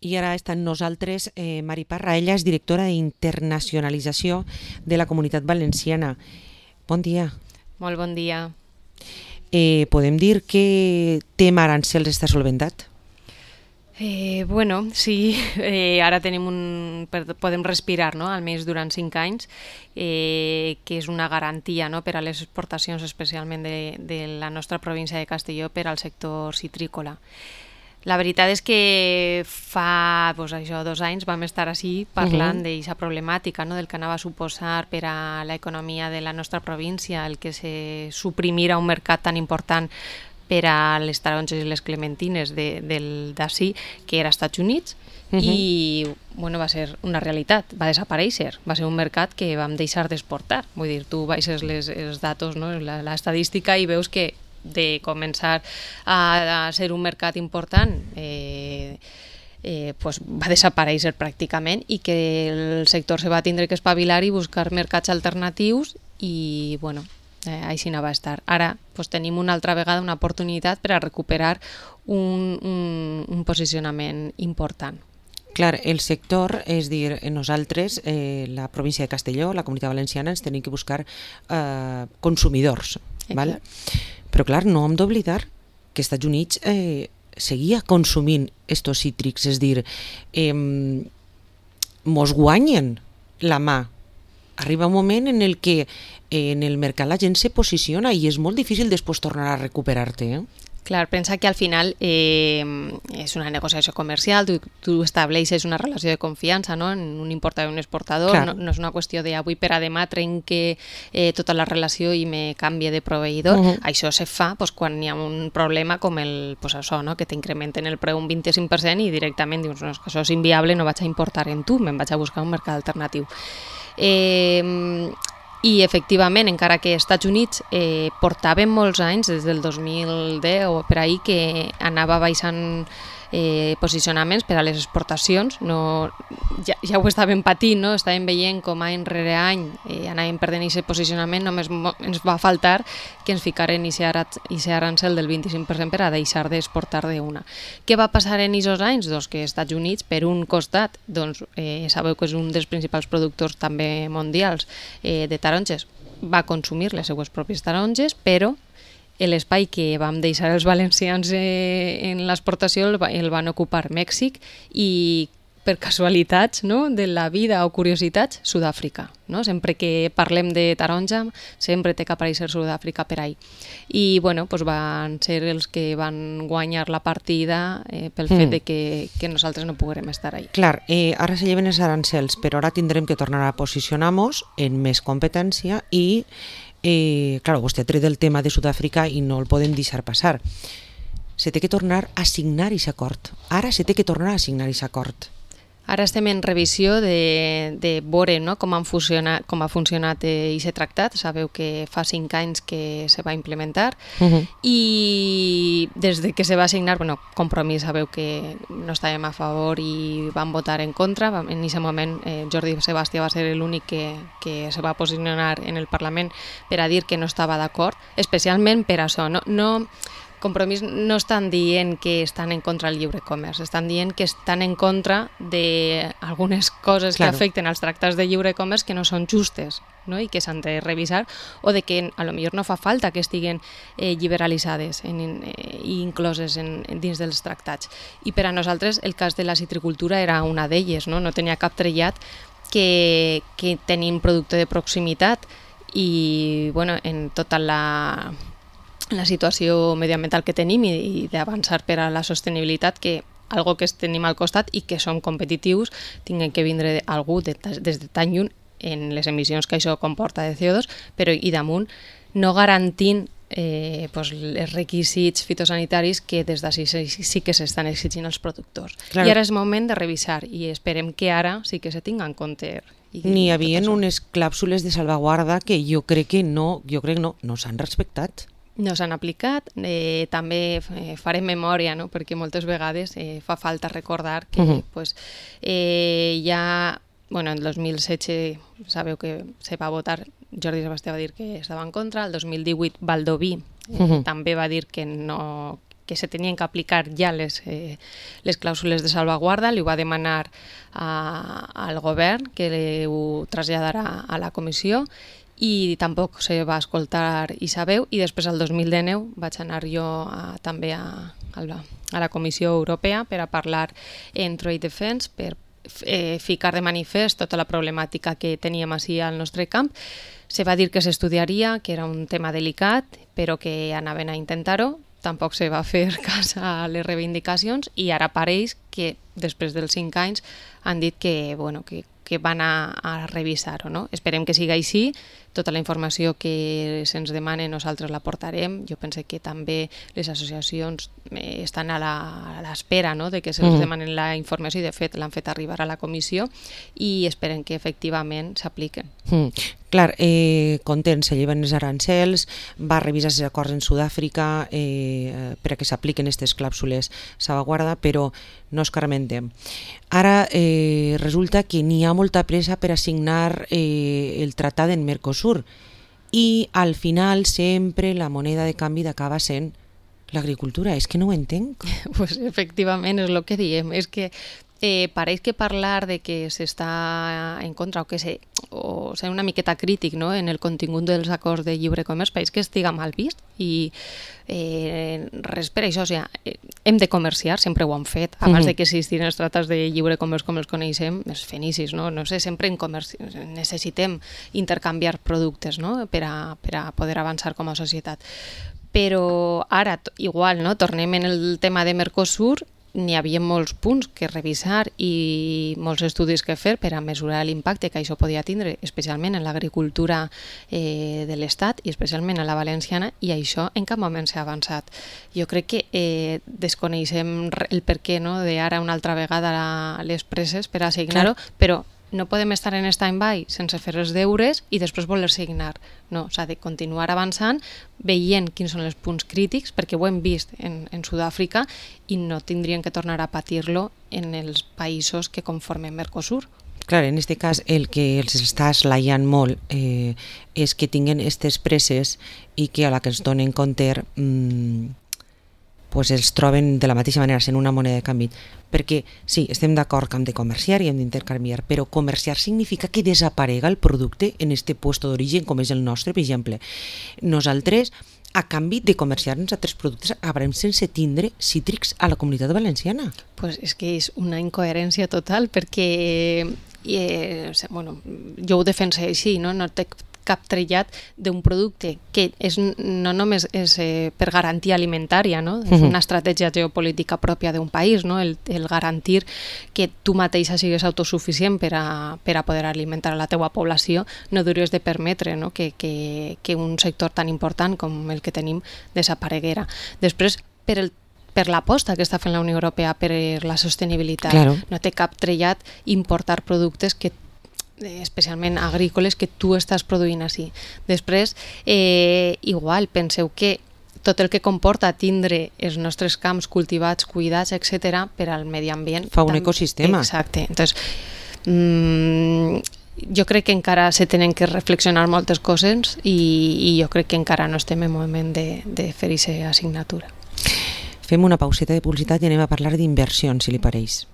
I ara està amb nosaltres Mari Parra. Ella és directora d'internacionalització de la Comunitat Valenciana. Bon dia. Molt bon dia. Podem dir que tema arancels està solventat? Bueno, sí, ara podem respirar, no? Almenys durant 5 anys, que és una garantia, no? Per a les exportacions, especialment de la nostra província de Castelló, per al sector citrícola. La veritat és que fa 2 anys vam estar així parlant d'aquesta problemàtica, no? Del que anava a suposar per a l'economia de la nostra província el que se suprimira un mercat tan important per a les taronges i les clementines d'ací, que era als Estats Units, i bueno, va ser una realitat, va desaparèixer, va ser un mercat que vam deixar d'exportar. Vull dir, tu baixes els datos, no? L'estadística, i veus que de començar a ser un mercat important pues va desaparèixer pràcticament, i que el sector se va tindre que espavilar i buscar mercats alternatius, i bueno, així no va estar. Ara pues, tenim una altra vegada una oportunitat per a recuperar un posicionament important. Clar, el sector, és dir, nosaltres, la província de Castelló, la Comunitat Valenciana, ens tenim que buscar consumidors. Val? Però clar, no hem d'oblidar que els Estats Units seguia consumint estos cítrics, és dir, mos guanyen la mà. Arriba un moment en el que en el mercat la gent se posiciona i és molt difícil després tornar a recuperar-te. Clar, pensa que al final és una negociació comercial, tu estableixes una relació de confiança, no? En un importador i un exportador, no és una qüestió d'avui per a demà trenque tota la relació i me canvie de proveïdor. Això se fa quan hi ha un problema com això, no? Que t'incrementen el preu un 25% i directament dius, no, és que això és inviable, no vaig a importar en tu, me'n vaig a buscar un mercat alternatiu. I efectivament, encara que als Estats Units portaven molts anys, des del 2010 o per ahir, que anava baixant posicionaments per a les exportacions, ja ho estàvem patint, no? Estàvem veient com any rere any anàvem perdent aquest posicionament, només ens va faltar que ens ficaren aquest arancel del 25% per a deixar d'exportar d'una. Què va passar en aquests anys? Doncs que els Estats Units, per un costat, sabeu que és un dels principals productors també mundials de taronges, va consumir les seues pròpies taronges, però l'espai que vam deixar els valencians en l'exportació el van ocupar Mèxic i, per casualitats, no? De la vida o curiositats, Sud-àfrica. No? Sempre que parlem de taronja, sempre té que aparèixer Sud-àfrica per ahí. I bueno, doncs van ser els que van guanyar la partida pel fet de que nosaltres no poguérem estar ahí. Clar, ara se lleven els arancels, però ara tindrem que tornar a posicionar-nos en més competència i clar, vostè ha tret el tema de Sud-àfrica i no el podem deixar passar. Se té que tornar a signar aquest acord. Ara se té que tornar a signar aquest acord. Ara estem en revisió de veure, no? com ha funcionat aquest tractat. Sabeu que fa 5 anys que se va implementar i des de que se va signar, Compromís, sabeu que no estàvem a favor i vam votar en contra. En aquest moment Jordi Sebastià va ser l'únic que se va posicionar en el Parlament per a dir que no estava d'acord, especialment per això. Compromís no estan dient que estan en contra del lliure comerç, estan dient que estan en contra d'algunes coses que afecten als tractats de lliure comerç que no són justes, no? I que s'han de revisar, o de que potser no fa falta que estiguen liberalitzades i incloses dins dels tractats. I per a nosaltres el cas de la citricultura era una d'elles, no tenia cap trellat que tenim producte de proximitat i en tota la situació mediambiental que tenim i d'avançar per a la sostenibilitat, que algo que tenim al costat i que som competitius, tinguen que vindre algú des de tan lluny en les emissions que això comporta de CO2, però i damunt no garantint els requisits fitosanitaris que des d'ací sí que s'estan exigint als productors. I ara és moment de revisar i esperem que ara sí que se tinga en compte. N'hi havia unes clàusules de salvaguarda que jo crec que no s'han respectat. No s'han aplicat, també farem memòria, no? Perquè moltes vegades fa falta recordar que en el 2016 sabeu que se va votar, Jordi Sebastià va dir que estava en contra, el 2018 Valdoví també va dir que no que se tenien que aplicar ja les clàusules de salvaguarda, li va demanar al govern que ho traslladara a la comissió i tampoc se va escoltar i sabeu, i després el 2019 vaig anar jo també a la Comissió Europea per a parlar en Trade Defense, per ficar de manifest tota la problemàtica que teníem així al nostre camp. Se va dir que s'estudiaria, que era un tema delicat, però que anaven a intentar-ho. Tampoc se va fer cas a les reivindicacions i ara pareix que després dels 5 anys han dit que van a revisar-ho. No? Esperem que sigui així. Tota la informació que se'ns demana nosaltres la portarem. Jo penso que també les associacions estan a l'espera, no?, de que se'ls demanen la informació i de fet l'han fet arribar a la comissió i esperem que efectivament s'apliquen. Clar, content, se lleven els arancels, va revisar els acords en Sud-àfrica per a que s'apliquen aquestes clàusules salvaguarda, però no escarmentem. Ara resulta que n'hi ha molta pressa per a signar el tractat en Mercosur i al final sempre la moneda de canvi acaba sent l'agricultura. És que no ho entenc. Pues efectivament és el que diem, és que pareix que parlar de que s'està en contra o ser una miqueta crític, no?, en el contingut dels acords de lliure comerç pareix que estiga mal vist i res per això, o sigui, hem de comerciar, sempre ho han fet, abans de que existissin els tractats de lliure comerç com els coneixem, els fenicis, no sé, sempre necessitem intercanviar productes, no?, per a poder avançar com a societat. Però ara, igual, no?, tornem en el tema de Mercosur, n'hi havia molts punts que revisar i molts estudis que fer per a mesurar l'impacte que això podia tindre, especialment en l'agricultura de l'Estat i especialment en la valenciana, i això en cap moment s'ha avançat. Jo crec que desconeixem el perquè, no?, d'ara una altra vegada les presses per a signar-ho, però no podem estar en stand-by sense fer els deures i després voler signar. No, s'ha de continuar avançant, veient quins són els punts crítics, perquè ho hem vist en Sud-àfrica i no tindrien que tornar a patir-lo en els països que conformen Mercosur. Clar, en aquest cas el que els està esglaiant molt és que tinguen aquestes presses i que a la que ens donen compte pues els troben de la mateixa manera sent una moneda de canvi, perquè sí, estem d'acord que hem de comerciar i hem d'intercanviar, però comerciar significa que desaparega el producte en este puesto d'origen com és el nostre. Per exemple, nosaltres a canvi de comerciar uns altres productes acabarem sense tindre cítrics a la Comunitat Valenciana. Pues és que és una incoherència total, perquè jo ho defenso així, no té cap trellat d'un producte que no només és per garantia alimentària, no? És una estratègia geopolítica pròpia d'un país, no? El garantir que tu mateixa sigues autosuficient per a poder alimentar a la teua població, no hauries de permetre, no?, que un sector tan important com el que tenim desapareguera. Després, per l'aposta que està fent la Unió Europea per la sostenibilitat, no té cap trellat importar productes especialment agrícoles que tu estàs produint així. Després, igual, penseu que tot el que comporta tindre els nostres camps cultivats, cuidats, etc., per al medi ambient. Fa un ecosistema. Exacte. Entonces, jo crec que encara se tenen que reflexionar moltes coses i jo crec que encara no estem en moment de fer aquesta assignatura. Fem una pauseta de publicitat i anem a parlar d'inversions, si li pareix.